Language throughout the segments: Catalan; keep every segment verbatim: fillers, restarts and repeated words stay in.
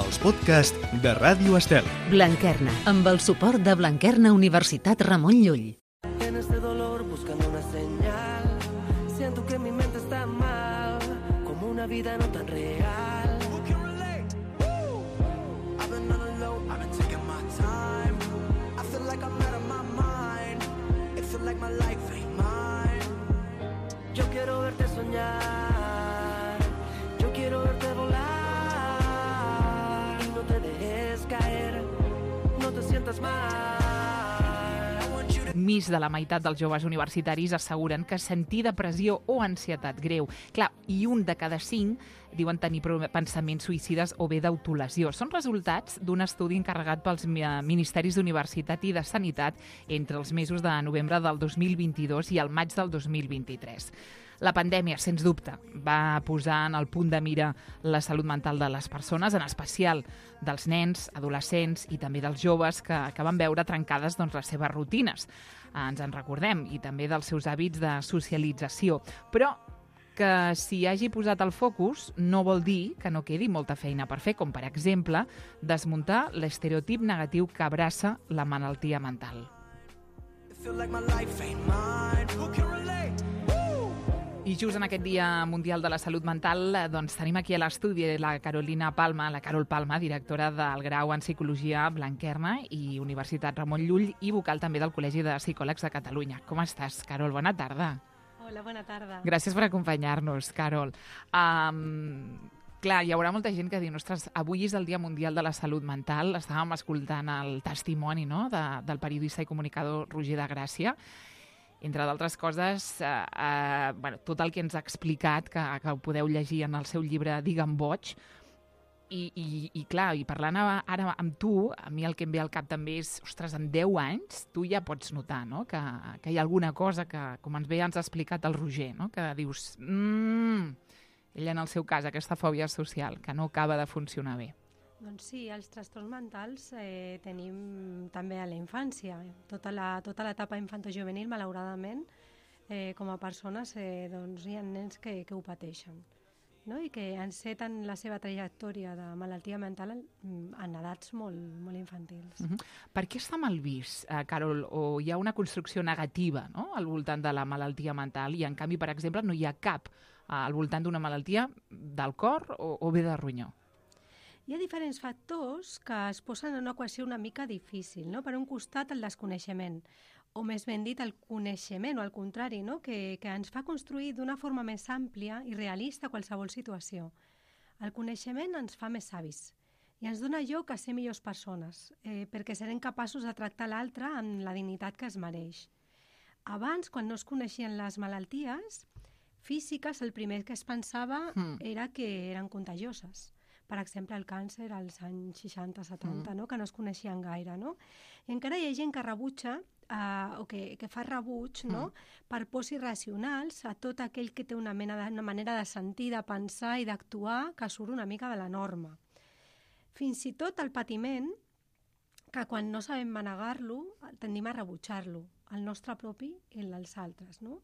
els podcasts de Ràdio Estel. Blanquerna, amb el suport de Blanquerna Universitat Ramon Llull. En este dolor buscando una señal, siento que mi mente está mal, como una vida no tan real. I've been on the low, I've been taking my time. I feel like I'm out of my mind. It feels like my life ain't mine. Yo quiero verte soñar, yo quiero verte volar. Y no te dejes caer, no te sientas mal. Més de la meitat dels joves universitaris asseguren que sentir depressió o ansietat greu. Clar, i un de cada cinc diuen tenir pensaments suïcides o bé d'autolesió. Són resultats d'un estudi encarregat pels Ministeris d'Universitat i de Sanitat entre els mesos de novembre del dos mil vint-i-dos i el maig del dos mil vint-i-tres. La pandèmia, sens dubte, va posar en el punt de mira la salut mental de les persones, en especial dels nens, adolescents i també dels joves que, que van veure trencades doncs, les seves rutines. Ens en recordem, i també dels seus hàbits de socialització. Però que s'hi hagi posat el focus no vol dir que no quedi molta feina per fer, com per exemple desmuntar l'estereotip negatiu que abraça la malaltia mental. I just en aquest Dia Mundial de la Salut Mental doncs, tenim aquí a l'estudi la Carolina Palma, la Carol Palma, directora del grau en Psicologia Blanquerna i Universitat Ramon Llull i vocal també del Col·legi de Psicòlegs de Catalunya. Com estàs, Carol? Bona tarda. Hola, bona tarda. Gràcies per acompanyar-nos, Carol. Um, clar, hi haurà molta gent que diu, ostres, avui és el Dia Mundial de la Salut Mental. Estàvem escoltant el testimoni no? de, del periodista i comunicador Roger de Gràcia. Entre d'altres coses, eh, eh, bueno, tot el que ens ha explicat, que, que ho podeu llegir en el seu llibre Digue'm boig, i, i, i clar, i parlant ara amb tu, a mi el que em ve al cap també és, ostres, en deu anys tu ja pots notar no? que, que hi ha alguna cosa que, com ens ve ja ens ha explicat el Roger, no? que dius, mmm, ell en el seu cas, aquesta fòbia social, que no acaba de funcionar bé. Doncs sí, els trastorns mentals eh, tenim també a la infància. Tota la, tota l'etapa infantojuvenil, malauradament, eh, com a persones, eh, doncs hi ha nens que, que ho pateixen, no? I que enceten la seva trajectòria de malaltia mental en, en edats molt, molt infantils. Uh-huh. Per què està mal vist, eh, Carol, o hi ha una construcció negativa no? al voltant de la malaltia mental i, en canvi, per exemple, no hi ha cap eh, al voltant d'una malaltia del cor o, o bé de ronyó? Hi ha diferents factors que es posen en una equació una mica difícil. No? Per un costat, el desconeixement, o més ben dit, el coneixement, o al contrari, no? que, que ens fa construir d'una forma més àmplia i realista qualsevol situació. El coneixement ens fa més savis i ens dona lloc a ser millors persones, eh, perquè serem capaços de tractar l'altre amb la dignitat que es mereix. Abans, quan no es coneixien les malalties físiques, el primer que es pensava mm. era que eren contagioses. Per exemple, el càncer als anys seixanta setanta, mm. no? que no es coneixien gaire. No? I encara hi ha gent que rebutja eh, o que, que fa rebuig no? mm. per pors irracionals a tot aquell que té una, mena de, una manera de sentir, de pensar i d'actuar que surt una mica de la norma. Fins i tot el patiment, que quan no sabem manegar-lo, tendim a rebutjar-lo, el nostre propi i el dels altres. No?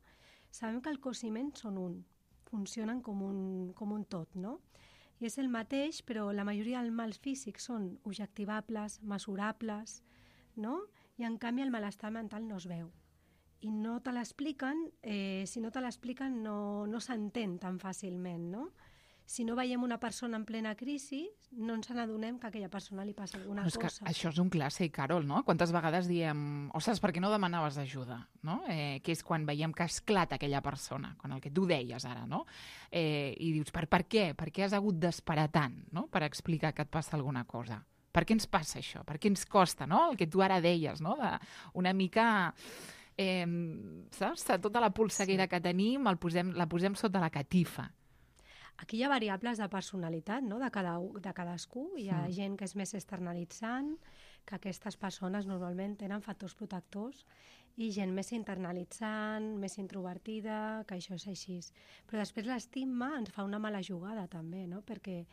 Sabem que el cos i ment són un, funcionen com un, com un tot, no? I és el mateix, però la majoria dels mals físics són objectivables, mesurables, no? I en canvi el malestar mental no es veu. I no te l'expliquen, eh, si no te l'expliquen no, no s'entén tan fàcilment, no? Si no veiem una persona en plena crisi, no ens n'adonem que a aquella persona li passa alguna no, és cosa. Que això és un clàssic, Carol, no? Quantes vegades diem, ostres, per què no demanaves ajuda? No? Eh, que és quan veiem que esclata aquella persona, quan el que tu deies ara, no? Eh, I dius, per, per què? Per què has hagut d'esperar tant no? per explicar que et passa alguna cosa? Per què ens passa això? Per què ens costa, no? El que tu ara deies, no? De una mica... Eh, saps? Tota la polseguera sí. que tenim el posem, la posem sota la catifa. Aquí hi ha variables de personalitat no? de, cada, de cadascú. Hi ha mm. gent que és més externalitzant, que aquestes persones normalment tenen factors protectors, i gent més internalitzant, més introvertida, que això és així. Però després l'estigma ens fa una mala jugada també, no? Perquè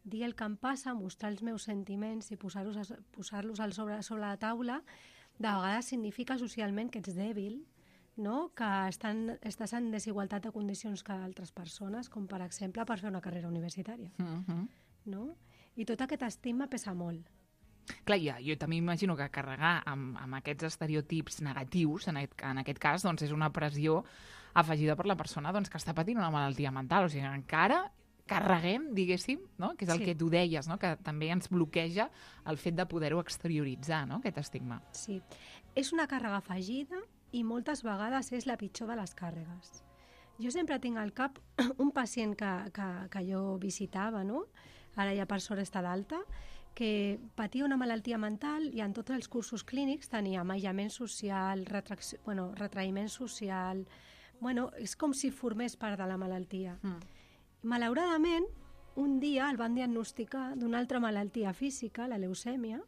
dir el que em passa, mostrar els meus sentiments i posar-los posar-los sobre, sobre la taula, de vegades significa socialment que ets dèbil, no? Que estan, estàs en desigualtat de condicions que altres persones, com per exemple per fer una carrera universitària. Uh-huh. No? I tot aquest estigma pesa molt. Clar, ja, jo també imagino que carregar amb, amb aquests estereotips negatius, en aquest, en aquest cas, doncs és una pressió afegida per la persona doncs, que està patint una malaltia mental. O sigui, encara carreguem, diguéssim, no? Que és el Sí. que tu deies, no? Que també ens bloqueja el fet de poder-ho exterioritzar, no? Aquest estigma. Sí. És una càrrega afegida i moltes vegades és la pitjor de les càrregues. Jo sempre tinc al cap un pacient que, que, que jo visitava, no? Ara ja per sort està d'alta, que patia una malaltia mental i en tots els cursos clínics tenia aïllament social, retracció, bueno, retraïment social... Bueno, és com si formés part de la malaltia. Mm. Malauradament, un dia el van diagnosticar d'una altra malaltia física, la leucèmia,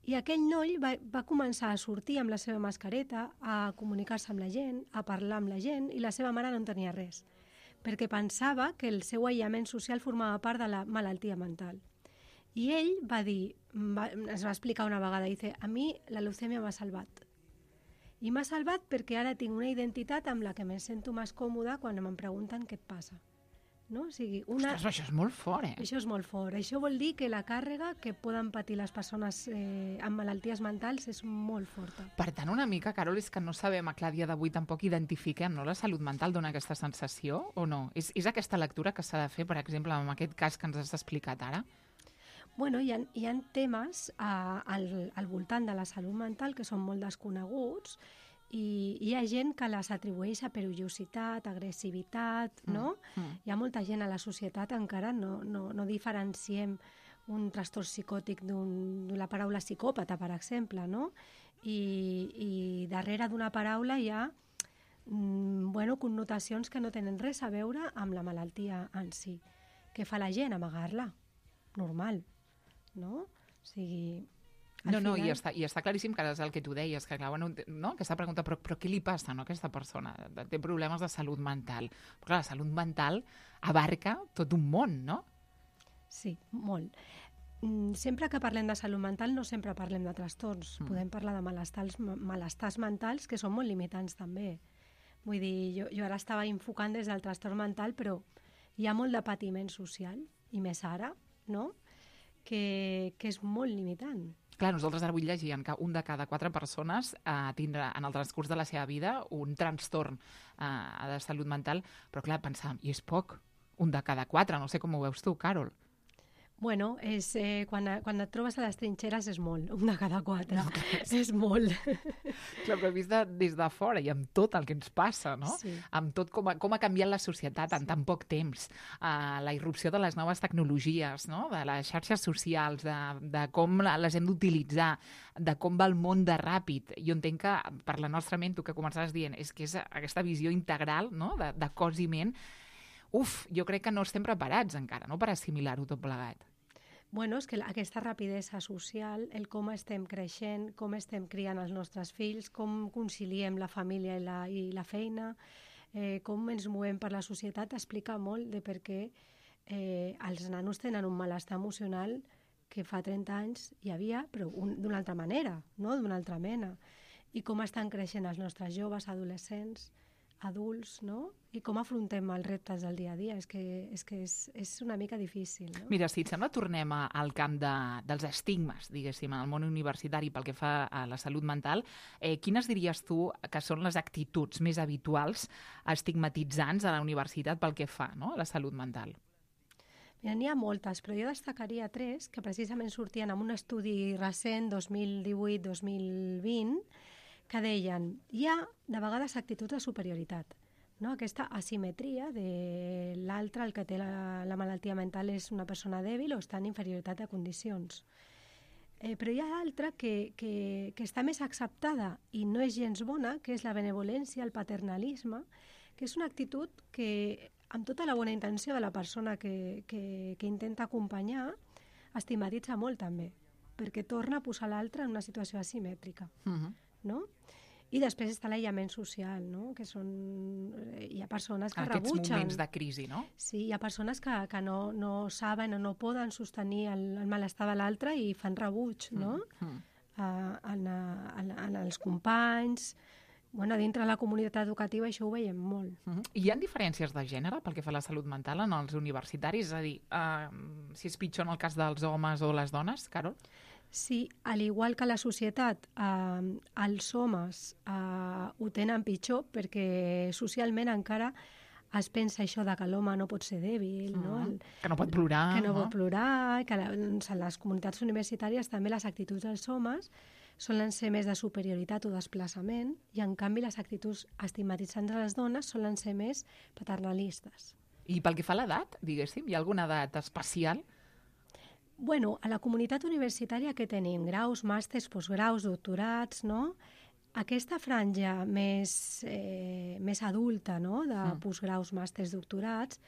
i aquell noi va, va començar a sortir amb la seva mascareta, a comunicar-se amb la gent, a parlar amb la gent, i la seva mare no en tenia res, perquè pensava que el seu aïllament social formava part de la malaltia mental. I ell va dir, va, es va explicar una vegada, dice, a mi la leucèmia m'ha salvat. I m'ha salvat perquè ara tinc una identitat amb la que me sento més còmoda quan em pregunten què et passa. No? O sigui, una... Ostres, això és molt fort, eh? Això és molt fort. Això vol dir que la càrrega que poden patir les persones eh, amb malalties mentals és molt forta. Per tant, una mica, Carol, és que no sabem, a clar, dia d'avui tampoc identifiquem, no? La salut mental dona aquesta sensació o no? És, és aquesta lectura que s'ha de fer, per exemple, en aquest cas que ens has explicat ara? Bueno, hi ha, hi ha temes a, al, al voltant de la salut mental que són molt desconeguts i hi ha gent que les atribueix a perillositat, agressivitat, no? Mm, mm. Hi ha molta gent a la societat encara, no, no, no diferenciem un trastorn psicòtic d'una paraula psicòpata, per exemple, no? I, i darrere d'una paraula hi ha mm, bueno, connotacions que no tenen res a veure amb la malaltia en si. Què fa la gent? Amagar-la. Normal. No? O sigui... No, no, final... i, està, i està claríssim que és el que tu deies, que clar, bueno, no? Aquesta pregunta, però, però què li passa no, a aquesta persona? Té problemes de salut mental. Però clar, la salut mental abarca tot un món, no? Sí, molt. Sempre que parlem de salut mental no sempre parlem de trastorns. Mm. Podem parlar de malestars, malestars mentals que són molt limitants també. Vull dir, jo, jo ara estava enfocant des del trastorn mental, però hi ha molt de patiment social, i més ara, no? Que, que és molt limitant. Clar, nosaltres ara avui llegíem que un de cada quatre persones eh, tindrà en el transcurs de la seva vida un trastorn eh, de salut mental, però clar, pensàvem, i és poc, un de cada quatre, no sé com ho veus tu, Carol. Bueno, és, eh, quan, quan et trobes a les trinxeres és molt, un de cada quatre. No, és molt. Clar, però vist de, des de fora i amb tot el que ens passa, no? Sí. Amb tot com ha, com ha canviat la societat en sí. tan poc temps, uh, la irrupció de les noves tecnologies, no? De les xarxes socials, de, de com les hem d'utilitzar, de com va el món de ràpid. Jo entenc que per la nostra ment, tu que començaves dient, és que és aquesta visió integral, no? de, de cos i ment. Uf, jo crec que no estem preparats encara, no?, per assimilar-ho tot plegat. Bueno, és que aquesta rapidesa social, el com estem creixent, com estem criant els nostres fills, com conciliem la família i la, i la feina, eh, com ens movem per la societat, explica molt de per què eh, els nanos tenen un malestar emocional que fa trenta anys hi havia, però d'una altra manera, no? D'una altra mena. I com estan creixent els nostres joves, adolescents, adults, no? I com afrontem els reptes del dia a dia. És que és, que és, és una mica difícil, no? Mira, si et sembla, tornem a, al camp de, dels estigmes, diguéssim, en el món universitari pel que fa a la salut mental. Eh, quines diries tu que són les actituds més habituals estigmatitzants a la universitat pel que fa, no?, a la salut mental? Mira, n'hi ha moltes, però jo destacaria tres que precisament sortien en un estudi recent, dos mil divuit dos mil vint, que deien, hi ha de vegades actituds de superioritat, no? Aquesta asimetria de l'altre, el que té la, la malaltia mental és una persona dèbil o està en inferioritat de condicions. Eh, però hi ha altra que, que, que està més acceptada i no és gens bona, que és la benevolència, el paternalisme, que és una actitud que, amb tota la bona intenció de la persona que, que, que intenta acompanyar, estigmatitza molt també, perquè torna a posar l'altre en una situació asimètrica. Uh-huh. No? I després està l'aïllament social, no? Que són... hi ha persones que Aquests rebutgen. Aquests moments de crisi, no? Sí, hi ha persones que, que no, no saben o no poden sostenir el, el malestar de l'altre i fan rebuig, no? Mm. Uh, en, en, en els companys, bueno, dintre la comunitat educativa això ho veiem molt. Uh-huh. Hi ha diferències de gènere pel que fa a la salut mental en els universitaris? És a dir, uh, si és pitjor en el cas dels homes o les dones, Carol? Sí, al igual que la societat, eh, els homes eh, ho tenen pitjor perquè socialment encara es pensa això de que l'home no pot ser dèbil, uh-huh. no? El, que no pot plorar. Que no, no? pot plorar, que la, doncs, en les comunitats universitàries també les actituds dels homes solen ser més de superioritat o desplaçament i, en canvi, les actituds estigmatitzants de les dones solen ser més paternalistes. I pel que fa a l'edat, diguéssim, hi ha alguna edat especial? Bueno, a la comunitat universitària que tenim? Graus, màsters, postgraus, doctorats, no? Aquesta franja més, eh, més adulta, no?, de mm. postgraus, màsters, doctorats,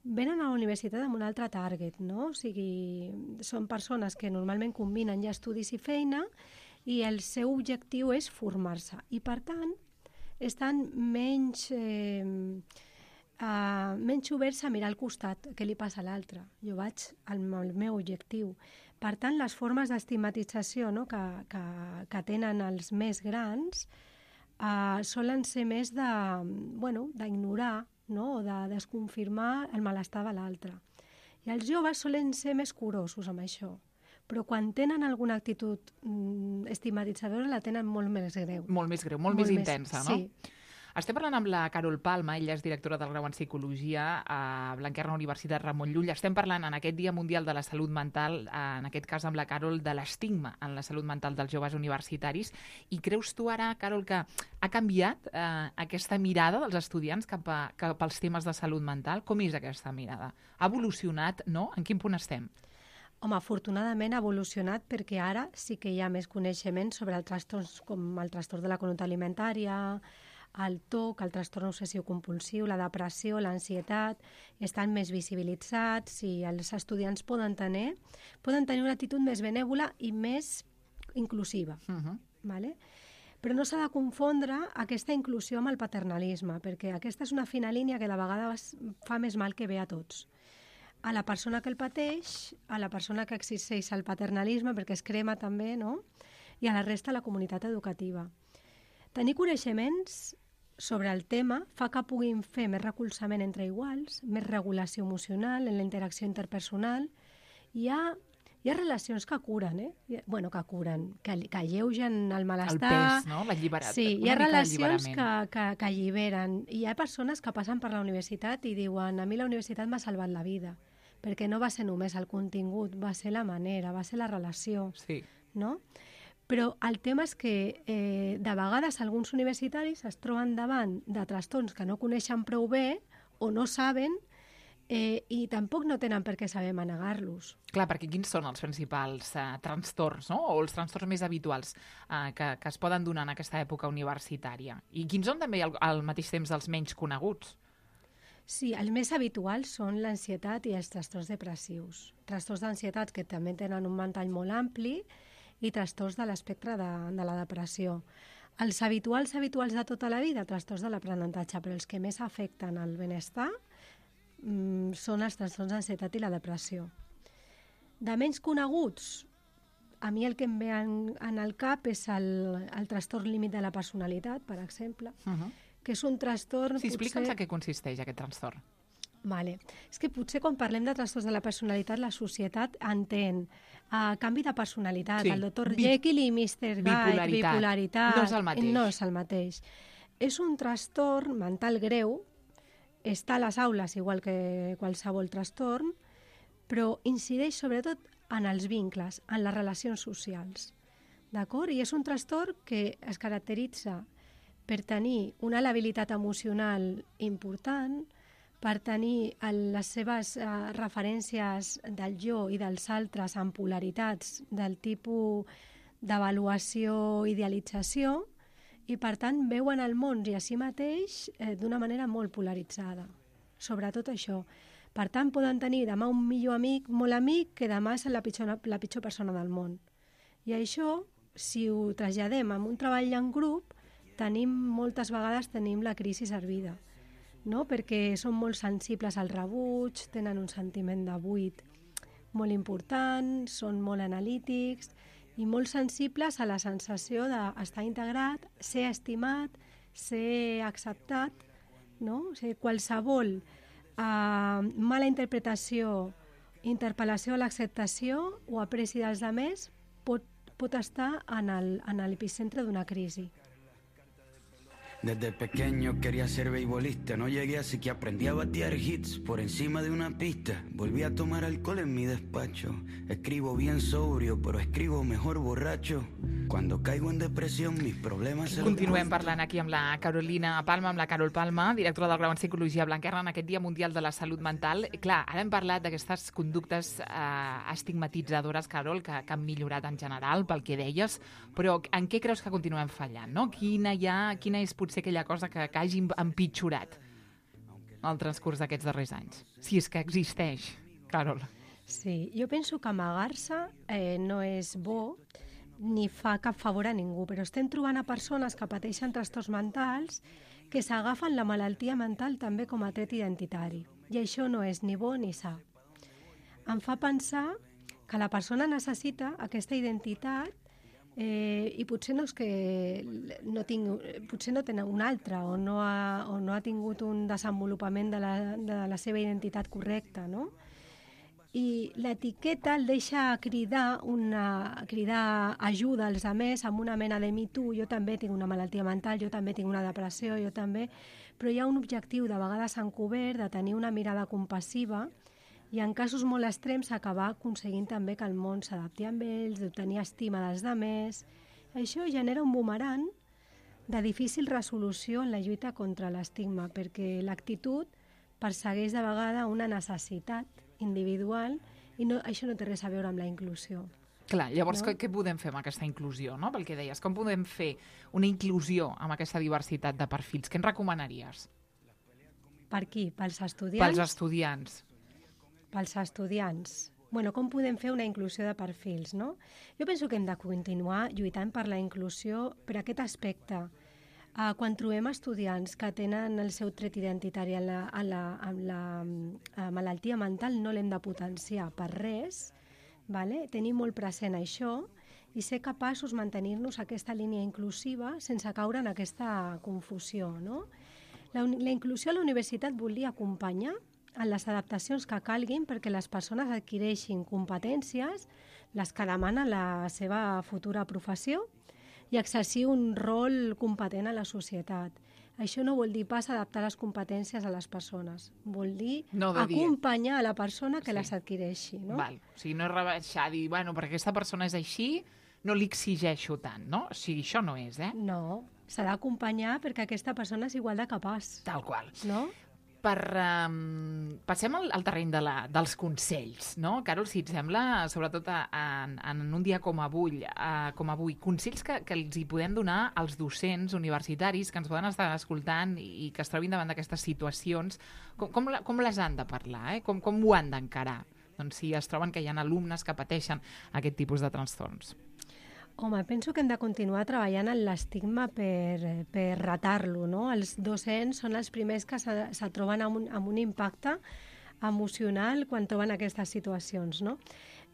venen a la universitat amb un altre target, no? O sigui, són persones que normalment combinen ja estudis i feina i el seu objectiu és formar-se. I, per tant, estan menys, eh, uh, menys oberts a mirar al costat què li passa a l'altre. Jo vaig al, al meu objectiu. Per tant, les formes d'estigmatització, no?, que, que, que tenen els més grans uh, solen ser més de, bueno, d'ignorar, no?, o de desconfirmar el malestar de l'altre. I els joves solen ser més curosos amb això. Però quan tenen alguna actitud mm, estigmatitzadora la tenen molt més greu. Molt més greu, molt, molt més, més intensa, no? Sí. Estem parlant amb la Carol Palma, ella és directora del grau en Psicologia a Blanquerna Universitat Ramon Llull. Estem parlant en aquest Dia Mundial de la Salut Mental, en aquest cas amb la Carol, de l'estigma en la salut mental dels joves universitaris. I creus tu ara, Carol, que ha canviat eh, aquesta mirada dels estudiants cap, a, cap als temes de salut mental? Com és aquesta mirada? Ha evolucionat, no? En quin punt estem? Home, afortunadament ha evolucionat perquè ara sí que hi ha més coneixement sobre els trastorns com el trastorn de la conducta alimentària, el T O C, el trastorn obsessiu-compulsiu, la depressió, l'ansietat, estan més visibilitzats i els estudiants poden tenir, poden tenir una actitud més benèvola i més inclusiva. Uh-huh. Vale? Però no s'ha de confondre aquesta inclusió amb el paternalisme, perquè aquesta és una fina línia que de vegades fa més mal que bé a tots. A la persona que el pateix, a la persona que exerceix el paternalisme, perquè es crema també, no?, i a la resta de la comunitat educativa. Tenir coneixements sobre el tema fa que puguin fer més recolzament entre iguals, més regulació emocional en la interacció interpersonal. Hi ha, hi ha relacions que curen, eh? Bueno, que curen, que, que alleugen el malestar. El pes, no? L'alliberat. Sí, hi ha relacions que, que, que alliberen. Hi ha persones que passen per la universitat i diuen: a mi la universitat m'ha salvat la vida, perquè no va ser només el contingut, va ser la manera, va ser la relació. Sí. No? Però el tema és que eh, de vegades alguns universitaris es troben davant de trastorns que no coneixen prou bé o no saben eh, i tampoc no tenen per què saber manegar-los. Clar, perquè quins són els principals eh, trastorns, no?, o els trastorns més habituals eh, que, que es poden donar en aquesta època universitària? I quins són també al, al mateix temps els menys coneguts? Sí, els més habituals són l'ansietat i els trastorns depressius. Trastorns d'ansietat que també tenen un ventall molt ampli i trastorns de l'espectre de, de la depressió. Els habituals, habituals de tota la vida, trastorns de l'aprenentatge, però els que més afecten el benestar mmm, són els trastorns d'ansietat i la depressió. De menys coneguts, a mi el que em ve en, en el cap és el, el trastorn límit de la personalitat, per exemple, uh-huh. que és un trastorn... Sí, explica'ns potser... a què consisteix aquest trastorn. Vale. És que potser quan parlem de trastorns de la personalitat, la societat entén uh, canvi de personalitat, sí. el doctor Bi- Jekyll i mister Hyde, bipolaritat. bipolaritat. No és el mateix. No és el mateix. És un trastorn mental greu, està a les aules igual que qualsevol trastorn, però incideix sobretot en els vincles, en les relacions socials. D'acord? I és un trastorn que es caracteritza per tenir una labilitat emocional important, per tenir les seves eh, referències del jo i dels altres en polaritats del tipus d'avaluació, idealització, i per tant veuen el món i a si mateix eh, d'una manera molt polaritzada. Sobretot això. Per tant, poden tenir demà un millor amic, molt amic, que demà és la pitjor, la pitjor persona del món. I això, si ho traslladem en un treball en grup, tenim, moltes vegades tenim la crisi servida. No? Perquè són molt sensibles al rebuig, tenen un sentiment de buit molt important, són molt analítics i molt sensibles a la sensació d'estar integrat, ser estimat, ser acceptat, no? O sigui, qualsevol uh, mala interpretació, interpel·lació a l'acceptació o apreci dels altres pot, pot estar en el, en l'epicentre d'una crisi. Desde pequeño quería ser beisbolista, no llegué así que aprendí a batear hits por encima de una pista. Volví a tomar alcohol en mi despacho, escribo bien sobrio, pero escribo mejor borracho. Cuando caigo en depresión, mis problemas se los... Continuem parlant aquí amb la Carolina Palma, amb la Carol Palma, directora del grau en Psicologia Blanquerna, en aquest Dia Mundial de la Salut Mental. Clar, ara hem parlat d'aquestes conductes eh, estigmatitzadores, Carol, que, que han millorat en general, pel que deies, però en què creus que continuem fallant, no? Quina, ha, quina és potser aquella cosa que, que hagi empitjorat el transcurs d'aquests darrers anys? Si és que existeix, Carol. Sí, jo penso que amagar-se eh, no és bo, ni fa cap favor a ningú, però estem trobant a persones que pateixen trastorns mentals que s'agafen la malaltia mental també com a tret identitari. I això no és ni bo ni sa. Em fa pensar que la persona necessita aquesta identitat eh, i potser no és que no tinc, potser no tenen una altra o no ha, o no ha tingut un desenvolupament de la, de la seva identitat correcta, no? I l'etiqueta el deixa cridar, una, cridar ajuda als altres amb una mena de mi tu, jo també tinc una malaltia mental, jo també tinc una depressió, jo també, però hi ha un objectiu de vegades encobert de tenir una mirada compassiva i en casos molt extrems acabar aconseguint també que el món s'adapti amb ells, d'obtenir estima dels altres. Això genera un bumerang de difícil resolució en la lluita contra l'estigma, perquè l'actitud persegueix de vegades una necessitat individual i no, això no té res a veure amb la inclusió. Clar, llavors no? què, què podem fer amb aquesta inclusió, no? Pel que deies, com podem fer una inclusió amb aquesta diversitat de perfils? Què ens recomanaries? Per qui? Pels estudiants? Pels estudiants. Pels estudiants. Bueno, com podem fer una inclusió de perfils, no? Jo penso que hem de continuar lluitant per la inclusió per aquest aspecte. Uh, quan trobem estudiants que tenen el seu tret identitari a la, a la, a la a malaltia mental, no l'hem de potenciar per res, vale? Tenir molt present això i ser capaços de mantenir-nos aquesta línia inclusiva sense caure en aquesta confusió, no? La, la inclusió a la universitat volia acompanyar en les adaptacions que calguin perquè les persones adquireixin competències, les que demana la seva futura professió, i exercir un rol competent a la societat. Això no vol dir pas adaptar les competències a les persones, vol dir no de acompanyar dir. a la persona que sí. les adquireixi. No? Val. O sigui, no és rebaixar, dir, bueno, perquè aquesta persona és així, no li exigeixo tant, no? O sigui, això no és, eh? No, s'ha d'acompanyar perquè aquesta persona és igual de capaç. Tal qual. No? Per, um, passem al, al terreny de la, dels consells, no? Carol, si et sembla, sobretot a, a, en un dia com avui, a, com avui consells que, que els hi podem donar als docents universitaris que ens poden estar escoltant i, i que es trobin davant d'aquestes situacions, com, com, la, com les han de parlar, eh? com, com ho han d'encarar? Doncs si es troben que hi ha alumnes que pateixen aquest tipus de trastorns. Home, penso que hem de continuar treballant en l'estigma per, per ratar-lo, no? Els docents són els primers que se, se troben amb un, amb un impacte emocional quan troben aquestes situacions, no?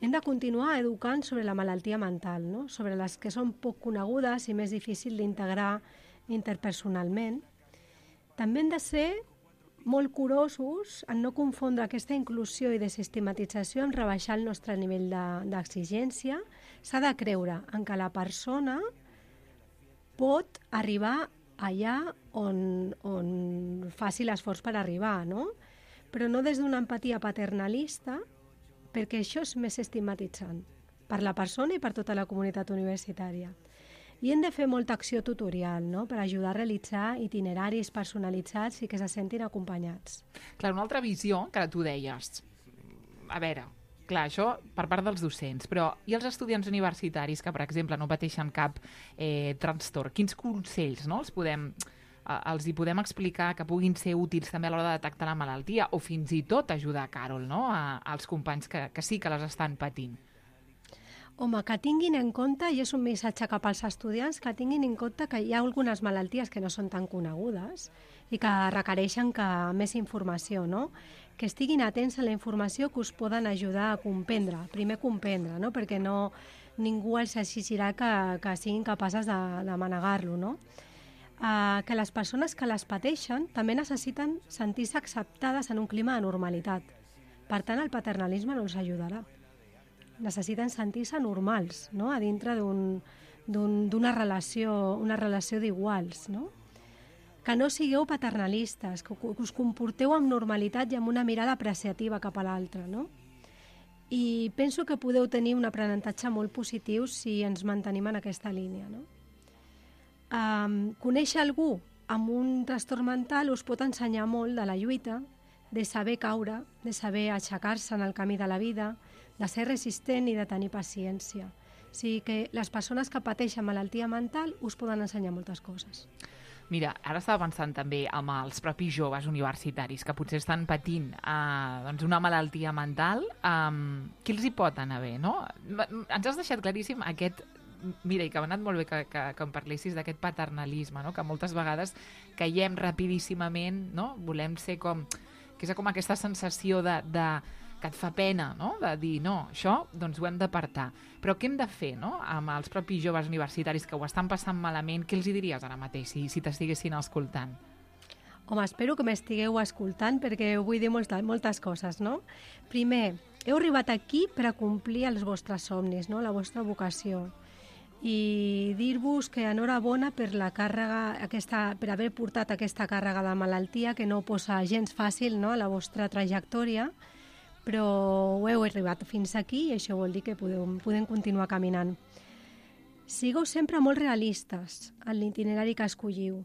Hem de continuar educant sobre la malaltia mental, no? Sobre les que són poc conegudes i més difícil d'integrar interpersonalment. També hem de ser molt curosos en no confondre aquesta inclusió i desestigmatització amb rebaixar el nostre nivell d'exigència. S'ha de creure en que la persona pot arribar allà on, on faci l'esforç per arribar, no? Però no des d'una empatia paternalista, perquè això és més estigmatitzant per la persona i per tota la comunitat universitària. I hem de fer molta acció tutorial, no?, per ajudar a realitzar itineraris personalitzats i que se sentin acompanyats. Clar, una altra visió, que ara tu deies, a veure, clar, això per part dels docents, però i els estudiants universitaris que, per exemple, no pateixen cap eh, trastorn, quins consells, no?, els podem, eh, els hi podem explicar que puguin ser útils també a l'hora de detectar la malaltia o fins i tot ajudar, Carol, no?, a, als companys que, que sí que les estan patint? Home, que tinguin en compte, i és un missatge cap als estudiants, que tinguin en compte que hi ha algunes malalties que no són tan conegudes i que requereixen que més informació, no? Que estiguin atents a la informació que us poden ajudar a comprendre, primer comprendre, no? Perquè no, ningú els exigirà que, que siguin capaces de, de manegar-lo, no? eh, que les persones que les pateixen també necessiten sentir-se acceptades en un clima de normalitat. Per tant, el paternalisme no els ajudarà. Necessiten sentir-se normals, no?, a dintre d'un, d'un, d'una relació, una relació d'iguals, no? Que no sigueu paternalistes, que, que us comporteu amb normalitat i amb una mirada apreciativa cap a l'altre, no? I penso que podeu tenir un aprenentatge molt positiu si ens mantenim en aquesta línia, no? Um, conèixer algú amb un trastorn mental us pot ensenyar molt de la lluita, de saber caure, de saber aixecar-se en el camí de la vida, de ser resistent i de tenir paciència. O sigui que les persones que pateixen malaltia mental us poden ensenyar moltes coses. Mira, ara estava pensant també amb els propis joves universitaris que potser estan patint eh, doncs una malaltia mental. Eh, què els hi pot anar bé, no? Ens has deixat claríssim aquest... Mira, i que m'ha anat molt bé que, que, que em parlessis d'aquest paternalisme, no? Que moltes vegades caiem rapidíssimament, no? Volem ser com... que és com aquesta sensació de, de, que et fa pena, no? De dir, no, això doncs ho hem d'apartar. Però què hem de fer, no? Amb els propis joves universitaris que ho estan passant malament, què els hi diries ara mateix si, si t'estiguessin escoltant? Home, espero que m'estigueu escoltant perquè vull dir moltes, moltes coses, no? Primer, heu arribat aquí per a complir els vostres somnis, no? La vostra vocació. I dir-vos que enhorabona per la càrrega, aquesta, per haver portat aquesta càrrega de malaltia que no posa gens fàcil, no?, a la vostra trajectòria, però ho heu arribat fins aquí i això vol dir que podeu, podem continuar caminant. Sigueu sempre molt realistes en l'itinerari que escolliu.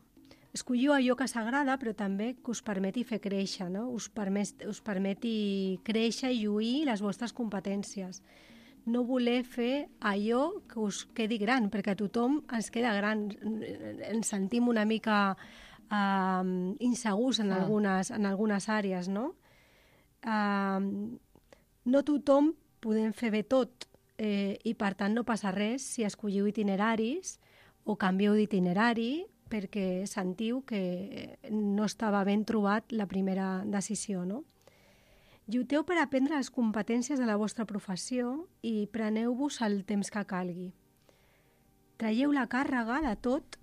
Escolliu allò que s'agrada, però també que us permeti fer créixer, no? Us, permet, us permeti créixer i lluir les vostres competències. No voler fer allò que us quedi gran, perquè a tothom ens queda gran. Ens sentim una mica uh, insegurs en, ah. algunes, en algunes àrees, no? Uh, no tothom podem fer bé tot eh, i per tant no passa res si escolliu itineraris o canvieu d'itinerari perquè sentiu que no estava ben trobat la primera decisió, no? Lluiteu per aprendre les competències de la vostra professió i preneu-vos el temps que calgui. Traieu la càrrega de tot,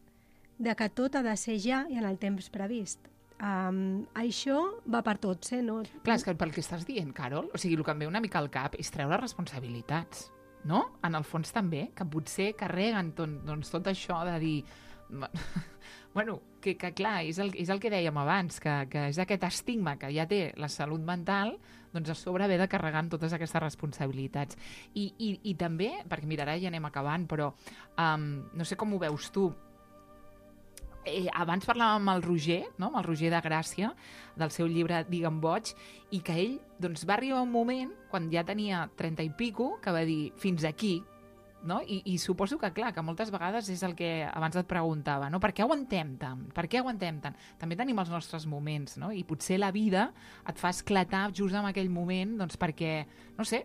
de que tot ha de ser ja i en el temps previst. Um, això va per tots, eh? No? Clar, és que pel que estàs dient, Carol, o sigui, el que em ve una mica al cap és treure responsabilitats, no? En el fons també, que potser carreguen tot, doncs, tot això de dir... Bueno, que, que clar, és el, és el que dèiem abans, que, que és aquest estigma que ja té la salut mental, doncs a sobre haver de carregar amb totes aquestes responsabilitats. I, i, i també, perquè mira, ara ja anem acabant, però um, no sé com ho veus tu, eh, abans parlàvem amb el Roger, no? Amb el Roger de Gràcia, del seu llibre Digue'm boig, i que ell doncs, va arribar un moment, quan ja tenia trenta i pico, que va dir, fins aquí, no? I, I suposo que, clar, que moltes vegades és el que abans et preguntava, no? Per què aguantem tant? Per què aguantem tant? També tenim els nostres moments, no? I potser la vida et fa esclatar just en aquell moment, doncs perquè, no sé,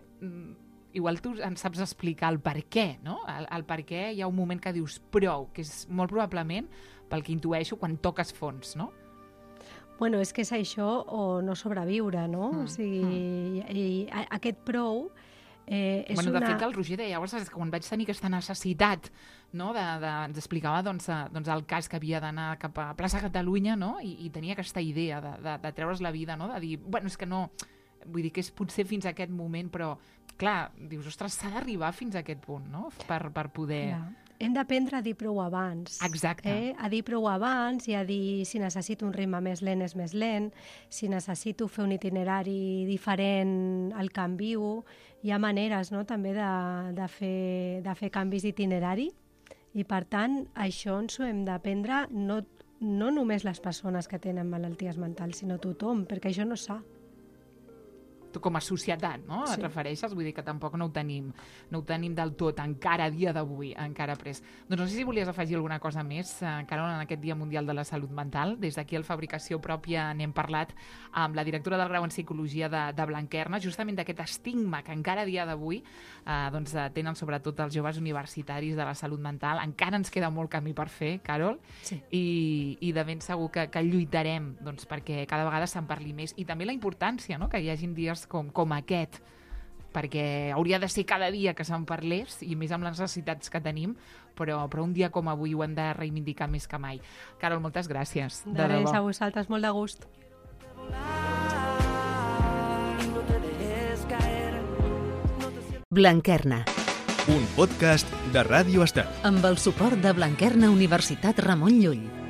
igual tu en saps explicar el per què, no? El, el per què hi ha un moment que dius prou, que és molt probablement pel que intueixo quan toques fons, no? Bueno, és que és això o no sobreviure, no? Mm, o sigui, mm. i, i aquest prou... Eh, és bueno, una... De fet, el Roger deia, llavors, quan vaig tenir aquesta necessitat, no, de, de, ens explicava doncs, doncs, el cas que havia d'anar cap a Plaça Catalunya, no, i, i tenia aquesta idea de, de, de treure's la vida, no, de dir, bueno, és que no, vull dir que és potser fins a aquest moment, però, clar, dius, ostres, s'ha d'arribar fins a aquest punt, no?, per, per poder... Clar. Hem d'aprendre a dir prou abans. Exacte. Eh? A dir prou abans i a dir si necessito un ritme més lent és més lent, si necessito fer un itinerari diferent el canvio. Hi ha maneres, no?, també de, de, fer, de fer canvis d'itinerari i, per tant, això ens ho hem d'aprendre no, no només les persones que tenen malalties mentals, sinó tothom, perquè això no és sa. Com a societat, no? Sí. Et refereixes? Vull dir que tampoc no ho tenim, no ho tenim del tot, encara a dia d'avui, encara pres. Doncs no sé si volies afegir alguna cosa més, eh, Carol, en aquest Dia Mundial de la Salut Mental. Des d'aquí al Fabricació Pròpia n'hem parlat amb la directora del grau en Psicologia de, de Blanquerna, justament d'aquest estigma que encara a dia d'avui eh, doncs, tenen sobretot els joves universitaris de la salut mental. Encara ens queda molt camí per fer, Carol, sí. I, i de ben segur que, que lluitarem doncs, perquè cada vegada se'n parli més. I també la importància, no?, que hi hagin dies Com, com aquest, perquè hauria de ser cada dia que se'n parlés, i més amb les necessitats que tenim, però, però un dia com avui ho hem de reivindicar més que mai. Carol, moltes gràcies. De, de res, a vosaltres, molt de gust. Blanquerna. Un podcast de Ràdio Estel. Amb el suport de Blanquerna Universitat Ramon Llull.